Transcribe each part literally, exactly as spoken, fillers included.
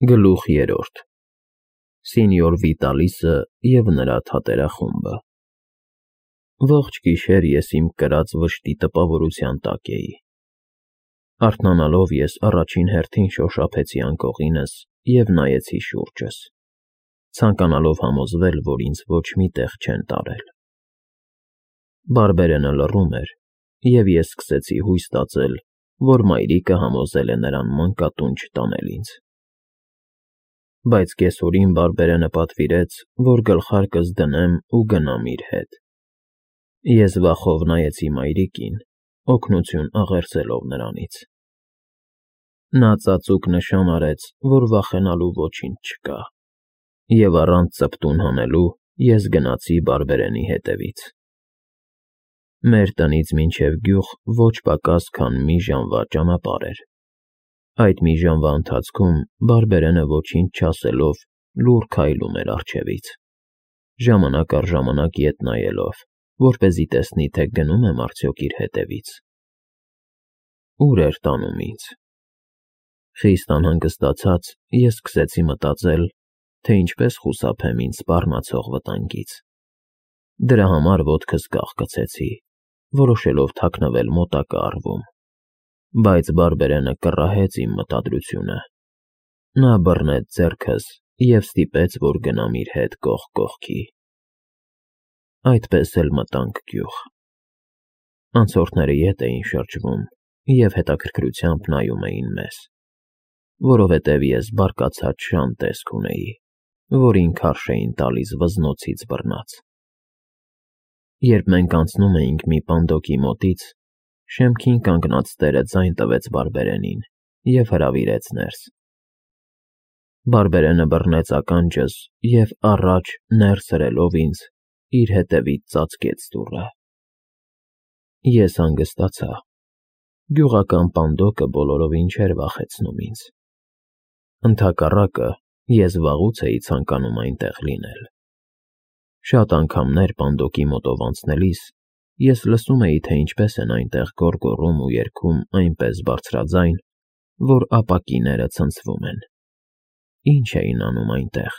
Գլուխ երրորդ Սենյոր Վիտալիսը և նրա թատերախումբը Ողջ գիշեր ես իմ կրած վշտի տպավորության տակ էի։ Արթնանալով ես առաջին հերթին շոշափեցի անկողինս և նայեցի շուրջս, ցանկանալով համոզվել, որ ինձ ոչ մի տեղ չեն տարել։ Բարբերենը լռում էր, և ես սկսեցի հույս ստացել, որ մայրիկը համոզել է նրան մանկատուն չտանել ինձ։ Բայց կեսօրին Բարբերենը պատվիրեց, որ գլխարկս դնեմ ու գնամ իր հետ։ Ես վախով նայեցի մայրիկին, օգնություն աղերսելով նրանից։ Նա ծածուկ նշան արեց, որ վախենալու ոչինչ չկա, և առանց ծպտուն հանելու ես գնացի Բարբերենի հետևից։ Մեր տնից մինչև գյուղ ոչ պակաս քան մի ժամվա ճանապարհ էր։ Այդ մի ժամվա ընթացքում Բարբերենը ոչինչ չասելով լուռ քայլում էր առջևից, ժամանակ առ ժամանակ ետ նայելով, որպեսզի տեսնի, թե գնում եմ արդյոք իր հետևից։ Ո՞ւր էր տանում ինձ։ Խիստ անհանգստացած ես սկսեցի մտածել, թե ինչպես խուսափեմ ինձ սպառնացող վտանգից։ Դրա համար ոտքս կաղկցեցի, որոշելով թաքնվել մոտակա առվում։ Բայց Բարբերենը կռահեց իմ մտադրությունը։ Նա բռնեց ձեռքս և ստիպեց, որ գնամ իր հետ կողք կողքի։ Այդպես էլ մտանք գյուղ։ Անցորդները ետ էին շրջվում և հետաքրքրությամբ նայում էին մեզ, որովհետև ես բարկացած շան տեսք ունեի, որին քարշ էին տալիս վզնոցից բռնած։ Երբ մենք անցնում էինք մի պանդոկի մոտից, շեմքին կանգնած տերը ձայն տվեց Բարբերենին և հրավիրեց ներս։ Բարբերենը բռնեց ականջս և առաջ ներս հրելով ինձ, իր հետևից ծածկեց դուռը։ Ես հանգստացա։ Գյուղական պանդոկը բոլորովին չէր վախեցնում ինձ։ Ընդհակառակը, ես վաղուց էի ցանկանում այնտեղ լինել։ Շատ անգամներ պանդոկի մոտով անցնելիս ես լսում էի, թե ինչպես են այնտեղ գոռգոռում ու երգում այնպես բարձրաձայն, որ ապակիները ցնցվում են։ Ինչ էին անում այնտեղ։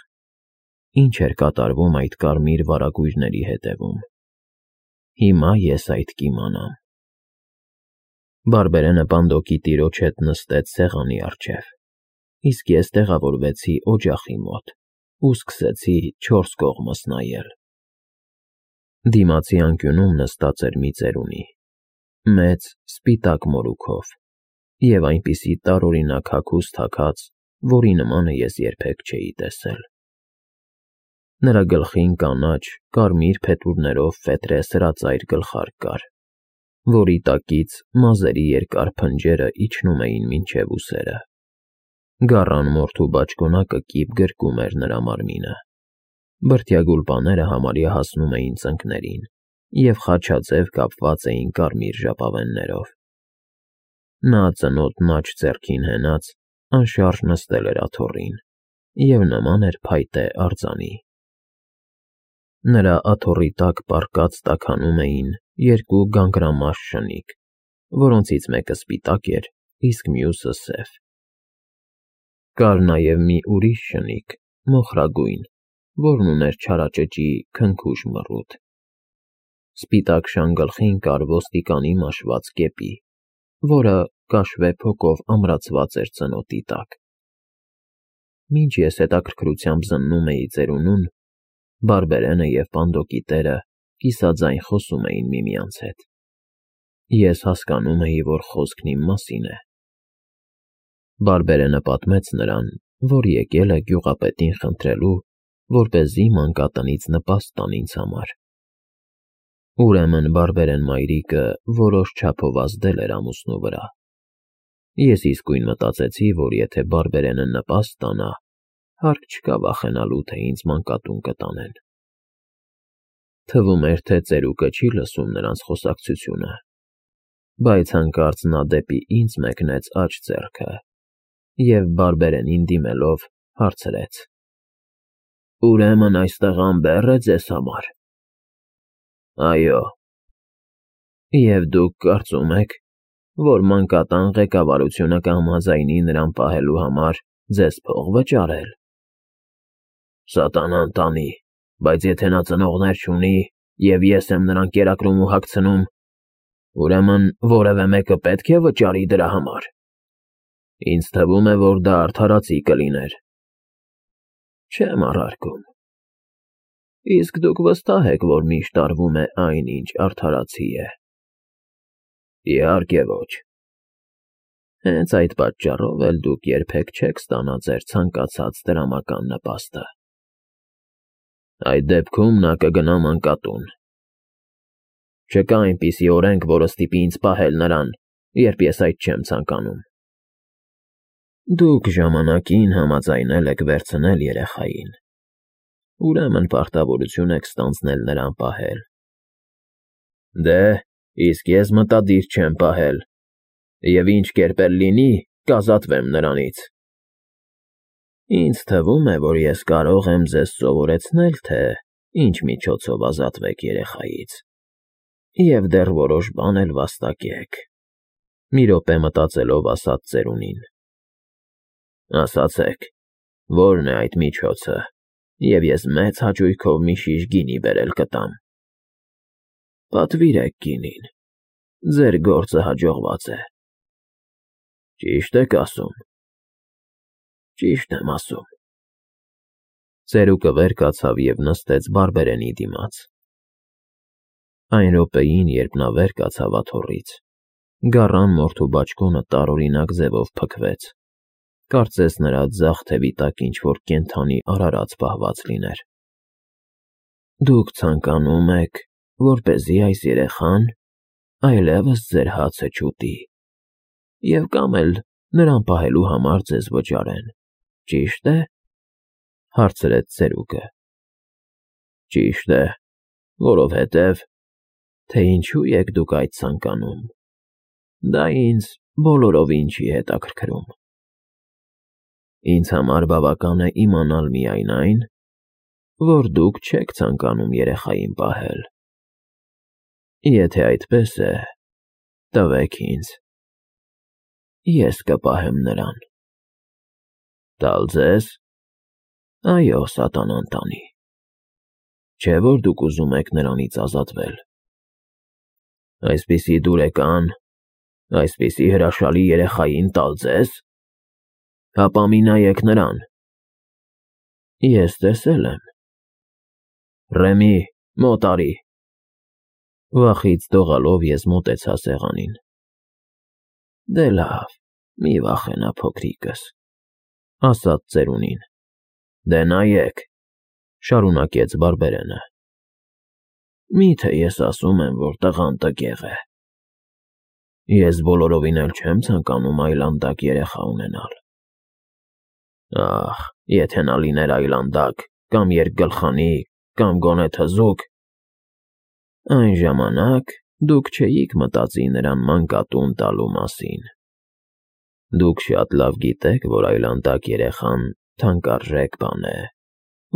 Ինչ էր կատարվում այդ կարմիր վարագույրների հետևում։ Հիմա ես այդ կիմանամ։ Բարբերենը պանդոկի տիրոջ հետ նստեց սեղանի առջև, իսկ ես տեղավորվեցի օջախի մոտ ու սկսեցի չորս կողմս նայել։ Դիմացի անկյունում նստած էր մի ծերունի, մեծ, սպիտակ մորուքով և այնպիսի տարօրինակ հագուստ հագած, որի նմանը ես երբեք չէի տեսել։ Նրա գլխին կանաչ, կարմիր փետուրներով ֆետրե սրածայր գլխարկ կար, որի տակից մազերի երկար փնջերը իջնում էին մինչև ուսերը։ Գառան մորթու բաճկոնակը կիպ գրկում էր նրա մարմինը։ Բրդյա համարյա հասնում էին ծնկներին և խաչաձև կապված էին կարմիր ժապավեններով։ Նա ծնոտն աջ ձեռքին հենած, անշարժ նստել էր աթոռին և նման էր փայտե արձանի։ Նրա աթոռի տակ պառկած տաքանում էին երկու գանգրամաշ շնիկ, որոնցից մեկը սպիտակ էր, իսկ մյուսը՝ սև։ Կար նաև մի ուրիշ շնիկ, մոխրագույն, որն ուներ չարաճճի քնքուշ մռութ։ Սպիտակ շան գլխին կար ոստիկանի մաշված կեպի, որը կաշվե փոկով ամրացված էր ծնոտի տակ։ Մինչ ես հետաքրքրությամբ զննում էի ծերունուն, Բարբերենը և պանդոկի տերը կիսաձայն խոսում էին միմյանց հետ։ Ես հասկանում էի, որ խոսքն իմ մասին է։ Բարբերենը պատմեց նրան, որ եկել է գյուղապետին խնդրելու, որպեսզի մանկատնից նպաստ տան ինձ համար։ Ուրեմն Բարբերեն մայրիկը որոշ չափով ազդել էր ամուսնու վրա։ Ես իսկույն մտածեցի, որ եթե Բարբերենը նպաստ տանա, հարկ չկա վախենալու, թե ինձ մանկատուն կտանեն։ Թվում էր, թե ծերուկը չի լսում նրանց խոսակցությունը, բայց հանկարծ նա դեպի ինձ մեկնեց աջ ձեռքը և Բարբերենին դիմելով հարցրեց. «Ուրեմն այստեղ անբե՞ռ է ձեզ համար»։ «Այո»։ «Եվ դուք կարծում եք, որ մանկատան ղեկավարությունը կհամաձայնի նրան պահելու համար ձեզ փող վճարել։ Սատանան տանի, բայց եթե նա ծնողներ չունի, և ես եմ նրան կերակրում ու հագցնում, ուրեմն որևէ մեկը պետք է վճարի դրա համար։ Ինձ թվում է, որ դա արդարացի կլիներ։ Չեմ առարկում։ Իսկ դուք վստահ եք, որ միշտ արվում է այն, ինչ արդարացի է։ Իհարկե ոչ։ Հենց այդ պատճառով էլ դուք երբեք չեք ստանա ձեր ցանկացած դրամական նպաստը։ Այդ դեպքում նա կգնա մանկատուն։ Չկա այնպիսի օրենք, որը ստիպի ինձ պահել նրան, երբ ես այդ չեմ ցանկանում։ Դուք ժամանակին համաձայնել եք վերցնել երեխային, ուրեմն պարտավորություն եք ստանձնել նրան պահել։ Դե, իսկ ես մտադիր չեմ պահել, և ինչ կերպ էլ լինի, կազատվեմ նրանից։ Ինձ թվում է, որ ես կարող եմ ձեզ սովորեցնել, թե ինչ միջոցով ազատվեք երեխայից, և դեռ որոշ բան էլ վաստակեք,֊ մի րոպե մտածելով ասաց ծերունին։ Ասացեք, ո՞րն է այդ միջոցը, և ես մեծ հաճույքով մի շիշ գինի բերել կտամ։ Պատվիրեք գինին, ձեր գործը հաջողված է։ Ճի՞շտ եք ասում։ Ճիշտ եմ ասում։ Ծերուկը վեր կացավ և նստեց բարբերենի դիմաց։ Այն րոպեին, երբ նա վեր կացավ աթոռից, գառան մորթու բաճկոնը տարօրինակ ձևով փքվեց, կարծես նրա ձախ թևի տակ ինչ-որ կենդանի արարած պահված լիներ։ Դուք ցանկանում եք, որպեսզի այս երեխան այլևս ձեր հացը չուտի, և կամ էլ նրան պահելու համար ձեզ վճարեն, ճի՞շտ է,֊ հարցրեց ծերուկը։ Ճիշտ է, որովհետև… Թե ինչու եք դուք այդ ցանկանում, դա ինձ բոլորովին չի հետաքրքրում։ Ինձ համար բավական է իմանալ միայն այն, որ դուք չեք ցանկանում երեխային պահել։ Եթե այդպես է, տվեք ինձ, ես կպահեմ նրան։ Տալ ձեզ։ Այո, սատանան տանի։ Չէ՞ որ դուք ուզում եք նրանից ազատվել։ Այսպիսի դուրեկան, այսպիսի հրաշալի երեխային տալ ձեզ։ Հապա մի նայեք նրան։ Ես տեսել եմ։ Ռեմի, մոտ արի։ Վախից դողալով ես մոտեցա սեղանին։ Դե լավ, մի վախենա, փոքրիկս, ասաց ծերունին։ Դե նայեք, շարունակեց բարբերենը։ Մի՞թե ես ասում եմ, որ տղան տգեղ է։ Ես բոլորովին էլ չեմ ցանկանում այլանդակ երեխա ունենալ։ Ախ, եթե նա լիներ այլանդակ, կամ երկգլխանի, կամ գոնե թզուկ, այն ժամանակ դուք չէիք մտածի նրան մանկատուն տալու մասին։ Դուք շատ լավ գիտեք, որ այլանդակ երեխան թանկարժեք բան է,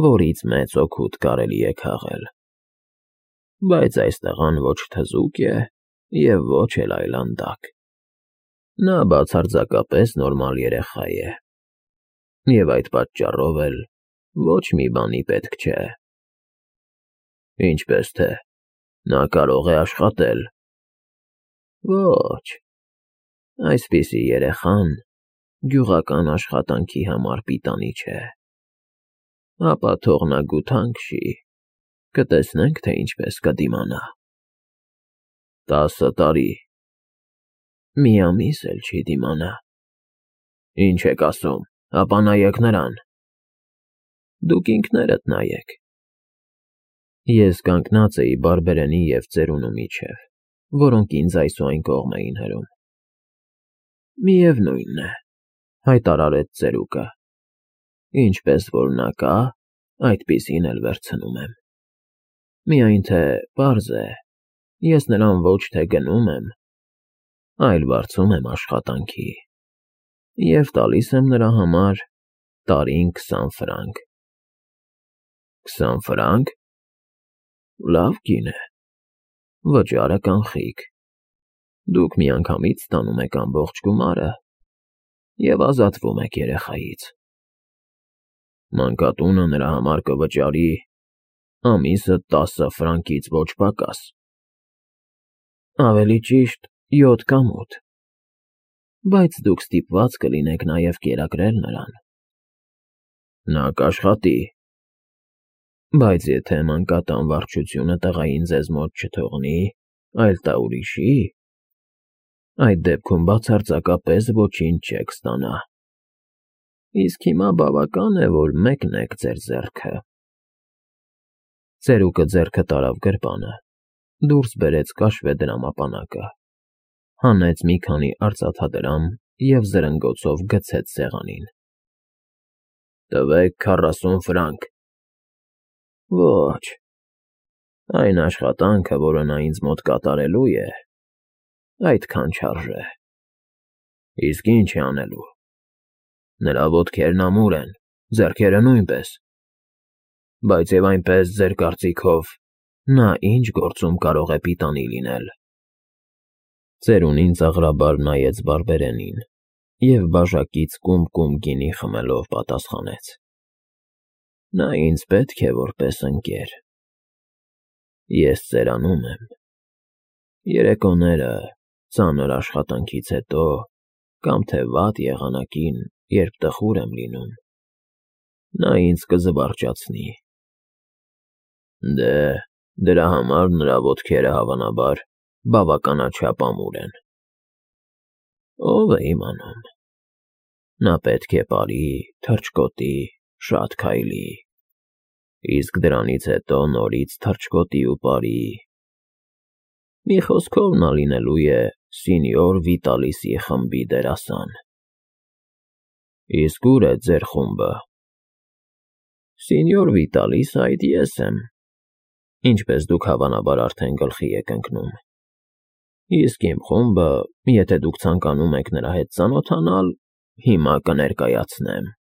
որից մեծ օգուտ կարելի է քաղել։ Բայց այս տղան ոչ թզուկ է և ոչ էլ այլանդակ։ Նա բացարձակապես նորմալ երեխա է, և այդ պատճառով էլ ոչ մի բանի պետք չէ։ Ինչպես թե, նա կարող է աշխատել։ Ոչ, այսպիսի երեխան գյուղական աշխատանքի համար պիտանի չէ։ Ապա թող նա գութան քշի, կտեսնենք, թե ինչպես կդիմանա։ Տասը տարի։ Մի ամիս էլ չի դիմանա։ Ինչ եք ասում, ապա նայեք նրան։ Դուք ինքներդ նայեք։ Ես կանգնած էի բարբերենի և ծերունու միջև, որոնք ինձ այսուայն կողմ էին հրում։ Միևնույն է, հայտարարեց ծերուկը, ինչպես որ նա կա, այդպիսին էլ վերցնում եմ։ Միայն թե պարզ է, ես նրան ոչ թե գնում եմ, այլ վարձում եմ աշխատանքի և տալիս եմ նրա համար տարին քսան ֆրանկ։ Քսան ֆրանկ… Լավ կին է, վճարը կանխիկ։ Դուք միանգամից ստանում եք ամբողջ գումարը և ազատվում եք երեխայից։ Մանկատունը նրա համար կվճարի ամիսը տասը ֆրանկից ոչ պակաս։ Ավելի ճիշտ, յոթ կամ ութ, բայց դուք ստիպված կլինեք նաև կերակրել նրան։ Նա կաշխատի, բայց եթե մանկատան վարչությունը տղային ձեզ մոտ չթողնի, այլ տա ուրիշի, այդ դեպքում բացարձակապես ոչինչ չեք ստանա։ Իսկ հիմա բավական է, որ մեկնեք ձեր ձեռքը։ Ծերուկը ձեռքը տարավ գրպանը, դուրս բերեց կաշվե դրամապանակը, հանեց մի քանի արծաթադրամ և զրնգոցով գցեց սեղանին։ Տվեք քառասուն ֆրանկ։ Ոչ, այն աշխատանքը, որը նա ինձ մոտ կատարելու է, այդքան չարժե։ Իսկ ինչ է անելու։ Նրա ոտքերն ամուր են, ձեռքերը նույնպես, բայց և այնպես ձեր կարծիքով նա ինչ գործում կարող է պիտանի լինել։ Ծերունին ծաղրաբար նայեց բարբերենին և բաժակից կում֊կում գինի խմելով պատասխանեց. Նա ինձ պետք է որպես ընկեր։ Ես ծերանում եմ։ Երեկոները, ծանր աշխատանքից հետո, կամ թե վատ եղանակին, երբ տխուր եմ լինում, նա ինձ կզվարճացնի։ Դե, դրա համար նրա ոտքերը, հավանաբար, բավականաչափ ամուր են։ Ո՞վ է իմանում։ Նա պետք է պարի, թռչկոտի, շատ քայլի, իսկ դրանից հետո նորից թռչկոտի ու պարի։ Մի խոսքով նա լինելու է սենյոր Վիտալիսի խմբի դերասան։ Իսկ ո՞ւր է ձեր խումբը։ Սենյոր Վիտալիսը այդ ես եմ, ինչպես դուք հավանաբար արդեն գլխի եք ընկնում։ Իսկ իմ խումբը, եթե դուք ցանկանում եք նրա հետ ծանոթանալ, հիմա կներկայացնեմ։